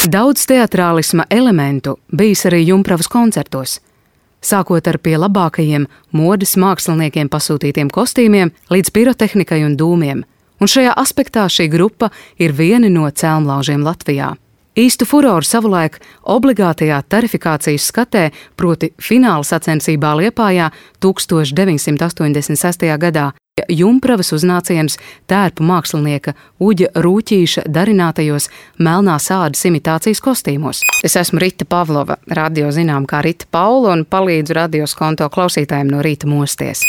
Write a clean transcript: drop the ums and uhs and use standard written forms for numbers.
Daudz teatrālisma elementu bijis arī Jumpravas koncertos. Sākot ar pie labākajiem modes māksliniekiem pasūtītiem kostīmiem līdz pirotehnikai un dūmiem. Un šajā aspektā šī grupa ir viena no celmlaužiem Latvijā. Īstu furoru savulaik obligātajā tarifikācijas skatē, proti fināla sacensībā Liepājā 1986. gadā, Jumpravas uznāciens tērpu mākslinieka Uģa Rūķīša darinātajos melnās ādas imitācijas kostīmos. Es esmu Rita Pavlova, radio zinām kā Rita Paula, un palīdzu radios konto klausītājiem no rīta mosties.